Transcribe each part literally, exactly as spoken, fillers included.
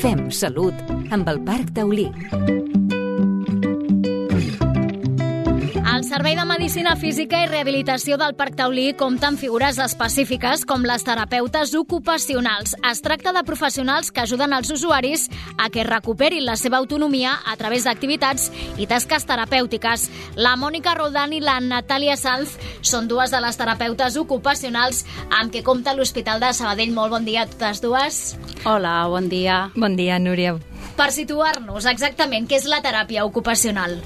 Fem Salut amb el Parc Taulí. El Servei de Medicina Física i Rehabilitació del Parc Taulí compta amb figures específiques com les terapeutes ocupacionals. Es tracta de professionals que ajuden els usuaris a que recuperin la seva autonomia a través d'activitats i tasques terapèutiques. La Mònica Roldán i la Natàlia Sanz són dues de les terapeutes ocupacionals amb què compta l'Hospital de Sabadell. Molt bon dia a totes dues. Hola, bon dia. Bon dia, Núria. Per situar-nos exactament, què és la teràpia ocupacional?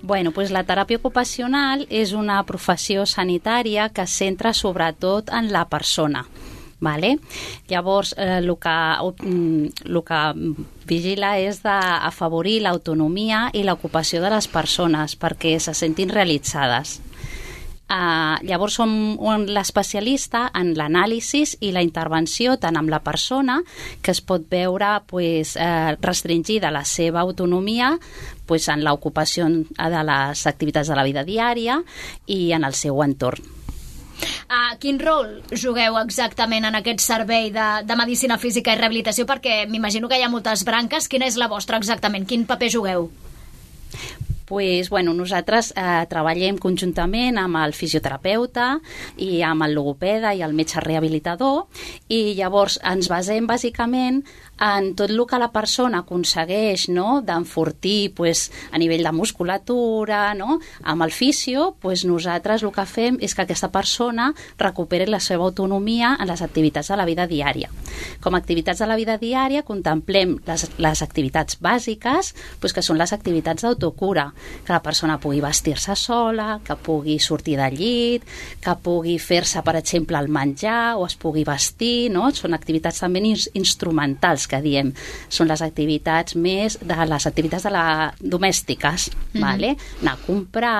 Bueno, pues la teràpia ocupacional és una professió sanitària que es centra sobretot en la persona. Vale? Llavors, eh, el que, el que vigila és d'afavorir l'autonomia i l'ocupació de les persones perquè se sentin realitzades. Uh, llavors som l'especialista en l'anàlisi i la intervenció tant amb la persona, que es pot veure pues, eh, restringida la seva autonomia pues, en l'ocupació de les activitats de la vida diària i en el seu entorn. Uh, quin rol jugueu exactament en aquest servei de, de Medicina Física i Rehabilitació? Perquè m'imagino que hi ha moltes branques. Quina és la vostra exactament? Quin paper jugueu? Pues, bueno, nosaltres eh, treballem conjuntament amb el fisioterapeuta i amb el logopeda i el metge rehabilitador i llavors ens basem bàsicament en tot el que la persona aconsegueix, no? D'enfortir pues, a nivell de musculatura, no? Amb el fisio, pues, nosaltres el que fem és que aquesta persona recuperi la seva autonomia en les activitats de la vida diària. Com a activitats de la vida diària contemplem les, les activitats bàsiques, pues, que són les activitats d'autocura, que la persona pugui vestir-se sola, que pugui sortir del llit, que pugui fer-se, per exemple, el menjar o es pugui vestir, no? Són activitats també instrumentals que diem, són les activitats més de les activitats de la domèstiques, mm-hmm. Vale? Anar a comprar,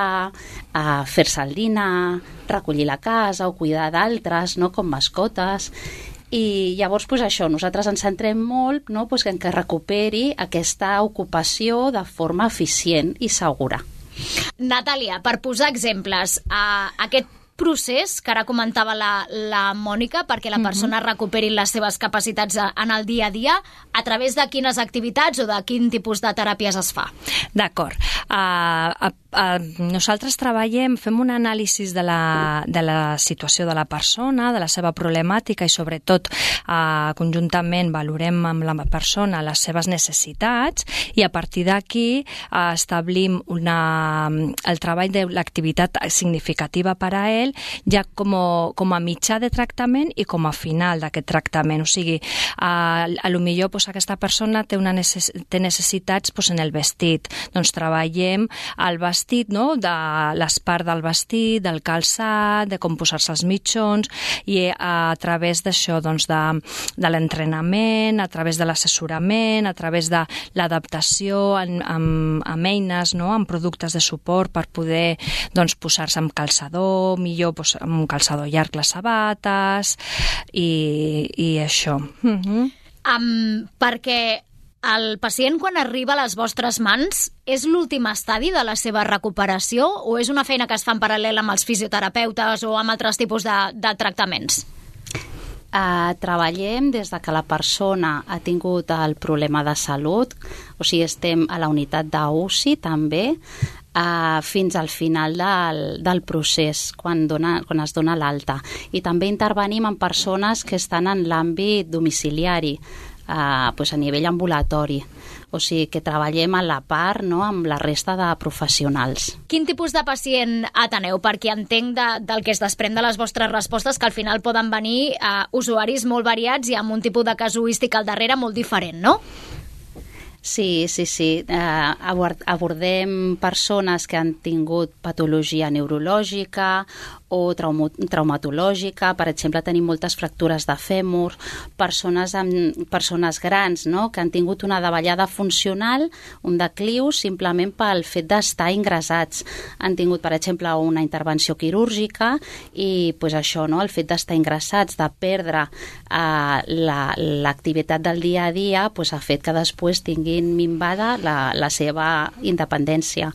a fer-se el dinar, recollir la casa o cuidar d'altres, no? Com mascotes. I llavors, pues, això, nosaltres ens centrem molt, no? Pues, en que recuperi aquesta ocupació de forma eficient i segura. Natàlia, per posar exemples, a aquest procés que ara comentava la, la Mònica perquè la persona uh-huh. recuperi les seves capacitats en el dia a dia, a través de quines activitats o de quin tipus de teràpies es fa? D'acord. Uh, uh, uh, nosaltres treballem, fem un anàlisi de la, de la situació de la persona, de la seva problemàtica i sobretot uh, conjuntament valorem amb la persona les seves necessitats i a partir d'aquí uh, establim una, el treball de l'activitat significativa per a ell ja com a, com a mitjà de tractament i com a final d'aquest tractament. O sigui, a, a lo millor pues, aquesta persona té, una necess, té necessitats pues, en el vestit. Doncs treballem el vestit, no? De l'espart del vestit, del calçat, de com posar-se els mitjons i a, a través d'això, doncs, de, de l'entrenament, a través de l'assessorament, a través de l'adaptació amb, amb, amb eines, no? Amb productes de suport per poder doncs, posar-se amb calçador, millor doncs, amb un calçador llarg les sabates i, i això. Uh-huh. Um, perquè el pacient quan arriba a les vostres mans és l'últim estadi de la seva recuperació o és una feina que es fa en paral·lel amb els fisioterapeutes o amb altres tipus de, de tractaments? Uh, treballem des de que la persona ha tingut el problema de salut, o sigui, estem a la unitat d'U C I també, Uh, fins al final del, del procés, quan, dona, quan es dona l'alta. I també intervenim en persones que estan en l'àmbit domiciliari, uh, pues a nivell ambulatori. O sigui, que treballem a la part, no?, amb la resta de professionals. Quin tipus de pacient ateneu? Perquè entenc de, del que es desprèn de les vostres respostes que al final poden venir uh, usuaris molt variats i amb un tipus de casuística al darrere molt diferent, no? Sí, sí, sí. Uh, abordem persones que han tingut patologia neurològica o trauma, traumatològica. Per exemple, tenim moltes fractures de fèmur, persones, amb, persones grans, no?, que han tingut una davallada funcional, un decliu, simplement pel fet d'estar ingressats. Han tingut, per exemple, una intervenció quirúrgica i pues, això, no?, el fet d'estar ingressats, de perdre uh, l'activitat la, del dia a dia, pues, ha fet que després tinguin minvada la, la seva independència.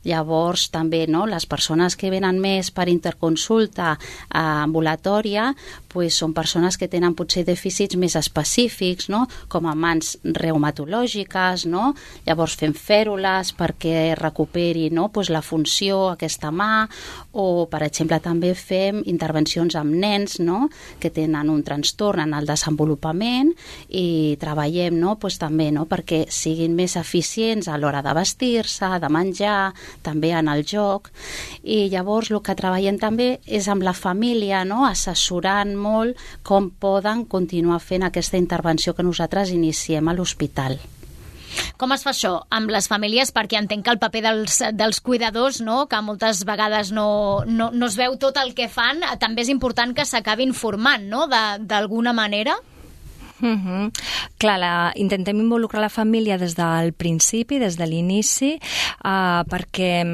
Llavors, també, no, les persones que venen més per interconsulta ambulatòria pues, són persones que tenen potser dèficits més específics, no? Com a mans reumatològiques, no? Llavors fem fèrules perquè recuperi, no? Pues, la funció, aquesta mà, o, per exemple, també fem intervencions amb nens, no? Que tenen un trastorn en el desenvolupament i treballem, no? Pues, també, no? Perquè siguin més eficients a l'hora de vestir-se, de menjar, també en el joc. I llavors el que treballem també és amb la família, no? Assessorant molt com poden continuar fent aquesta intervenció que nosaltres iniciem a l'hospital. Com es fa això amb les famílies? Perquè entenc que el paper dels, dels cuidadors, no? Que moltes vegades no, no, no es veu tot el que fan, també és important que s'acabin formant, no? D'alguna manera. Uh-huh. Clar, la, intentem involucrar la família des del principi, des de l'inici, uh, perquè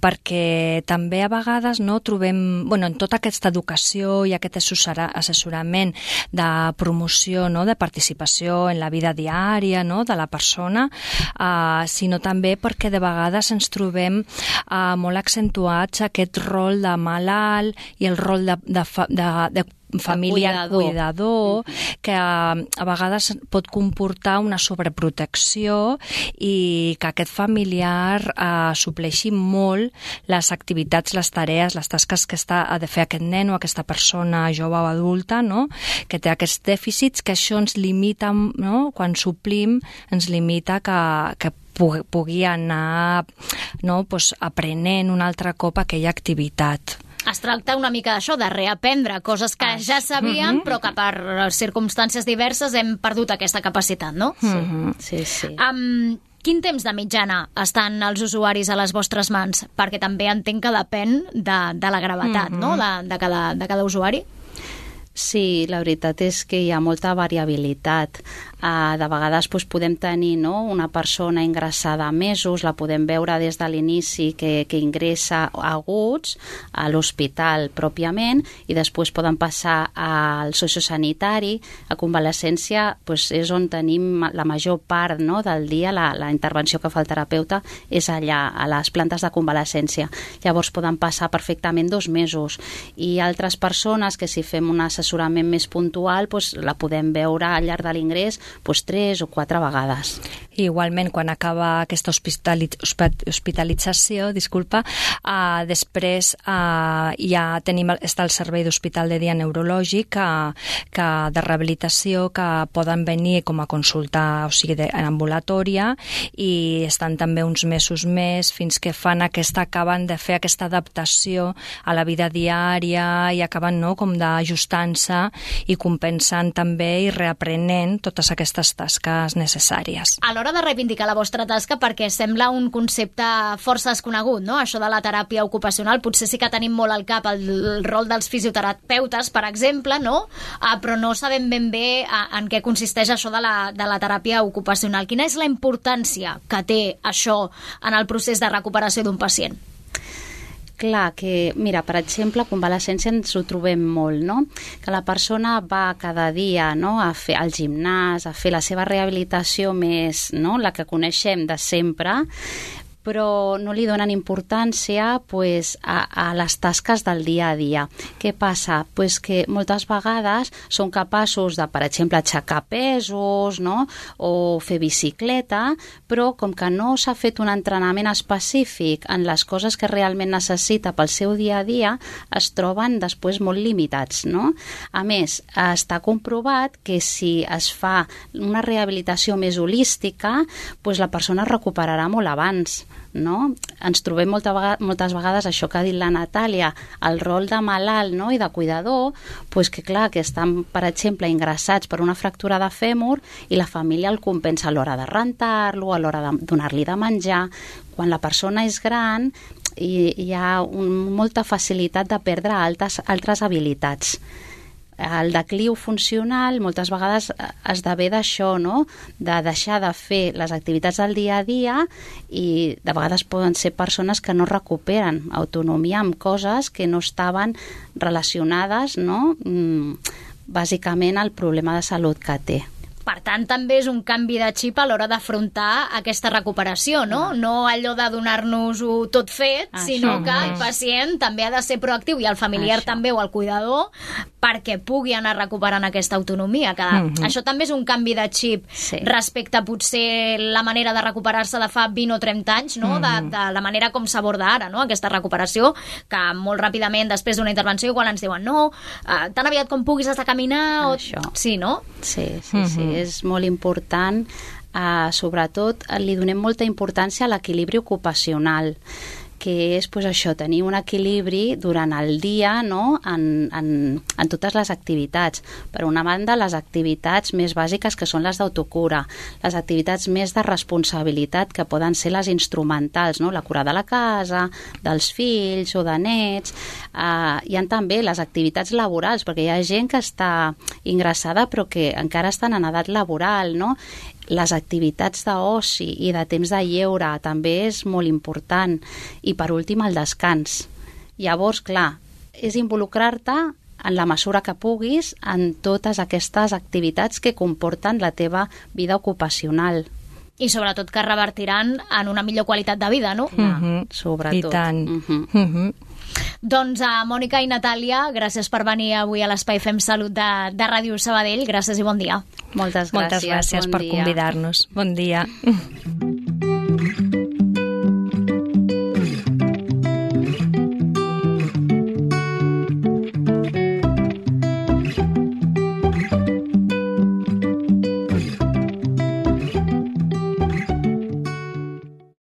perquè també a vegades no, trobem, bueno, en tota aquesta educació i aquest assessorament de promoció, no, de participació en la vida diària, no, de la persona, eh, sinó també perquè de vegades ens trobem eh, molt accentuats aquest rol de malalt i el rol de, de, de, de família cuidador, cuidador que a, a vegades pot comportar una sobreprotecció i que aquest familiar eh, supleixi molt les activitats, les tarees, les tasques que està, ha de fer aquest nen o aquesta persona jove o adulta, no? Que té aquests dèficits, que això ens limita, no? Quan suplim ens limita que, que pugui anar, no? Pues, aprenent un altre cop aquella activitat. Es tracta una mica d'això, de reaprendre coses que ja sabíem, uh-huh. però que per circumstàncies diverses hem perdut aquesta capacitat, no? Uh-huh. Sí, sí. Um, quin temps de mitjana estan els usuaris a les vostres mans? Perquè també entenc que depèn de, de la gravetat, uh-huh. no? de, de, cada, de cada usuari. Sí, la veritat és que hi ha molta variabilitat. Uh, de vegades doncs, podem tenir, no, una persona ingressada mesos, la podem veure des de l'inici que, que ingressa aguts a l'hospital pròpiament i després poden passar al sociosanitari. A convalescència doncs, és on tenim la major part, no, del dia, la, la intervenció que fa el terapeuta és allà, a les plantes de convalescència. Llavors poden passar perfectament dos mesos i altres persones que si fem un assessorament més puntual doncs, la podem veure al llarg de l'ingrés pues, tres o quatre vegades. I igualment, quan acaba aquesta hospitalit hospitalització, disculpa, uh, després uh, ja tenim, està el servei d'hospital de dia neurològic que, que de rehabilitació que poden venir com a consulta, o sigui, de, en ambulatòria, i estan també uns mesos més fins que fan aquesta, acaben de fer aquesta adaptació a la vida diària i acaben, no, com d'ajustant-se i compensant també i reaprenent totes aquestes tasques necessàries. A l'hora de reivindicar la vostra tasca, perquè sembla un concepte força desconegut, no? Això de la teràpia ocupacional, potser sí que tenim molt al cap el, el rol dels fisioterapeutes, per exemple, no? Ah, però no sabem ben bé en què consisteix això de la, de la teràpia ocupacional. Quina és la importància que té això en el procés de recuperació d'un pacient? Clar, que, mira, per exemple, a convalescència ens ho trobem molt, no? Que la persona va cada dia, no, a fer al gimnàs, a fer la seva rehabilitació més, no?, la que coneixem de sempre, però no li donen importància pues, a, a les tasques del dia a dia. Què passa? Pues que moltes vegades són capaços de, per exemple, aixecar pesos, no?, o fer bicicleta, però com que no s'ha fet un entrenament específic en les coses que realment necessita pel seu dia a dia, es troben després molt limitats, no? A més, està comprovat que si es fa una rehabilitació més holística, pues la persona es recuperarà molt abans. No? Ens trobem molta vegada, moltes vegades això que ha dit la Natàlia, el rol de malalt, no?, i de cuidador, pues que clar, que estan, per exemple, ingressats per una fractura de fèmur i la família el compensa a l'hora de rentar-lo, a l'hora de donar-li de menjar. Quan la persona és gran hi, hi ha un, molta facilitat de perdre altres, altres habilitats. El decliu funcional moltes vegades esdevé d'això, no?, de deixar de fer les activitats del dia a dia i de vegades poden ser persones que no recuperen autonomia amb coses que no estaven relacionades, no?, bàsicament al problema de salut que té. Per tant, també és un canvi de xip a l'hora d'afrontar aquesta recuperació, no? No allò de donar-nos-ho tot fet, Això sinó que el pacient també ha de ser proactiu i el familiar Això. també o el cuidador perquè pugui anar recuperant aquesta autonomia. Que mm-hmm. Això també és un canvi de xip sí. respecte a potser la manera de recuperar-se de fa vint o trenta anys, no? Mm-hmm. de, de la manera com s'aborda ara, no? Aquesta recuperació, que molt ràpidament després d'una intervenció igual ens diuen no, uh, tan aviat com puguis has de caminar o... Això. Sí, no? Sí, sí, mm-hmm. sí, és molt important. Uh, sobretot li donem molta importància a l'equilibri ocupacional, que és pues, això, tenir un equilibri durant el dia, no? en, en, en totes les activitats. Per una banda, les activitats més bàsiques, que són les d'autocura, les activitats més de responsabilitat, que poden ser les instrumentals, no? La cura de la casa, dels fills o de nets. Uh, hi ha també les activitats laborals, perquè hi ha gent que està ingressada però que encara estan en edat laboral, no? Les activitats d'oci i de temps de lleure també és molt important. I per últim, el descans. Llavors, clar, és involucrar-te en la mesura que puguis en totes aquestes activitats que comporten la teva vida ocupacional. I sobretot que revertiran en una millor qualitat de vida, no? Mm-hmm. Sobretot. I tant. Mm-hmm. Mm-hmm. Doncs a Mònica i Natàlia, gràcies per venir avui a l'Espai Fem Salut de, de Ràdio Sabadell. Gràcies i bon dia. Moltes gràcies. Moltes gràcies bon per dia. convidar-nos. Bon dia.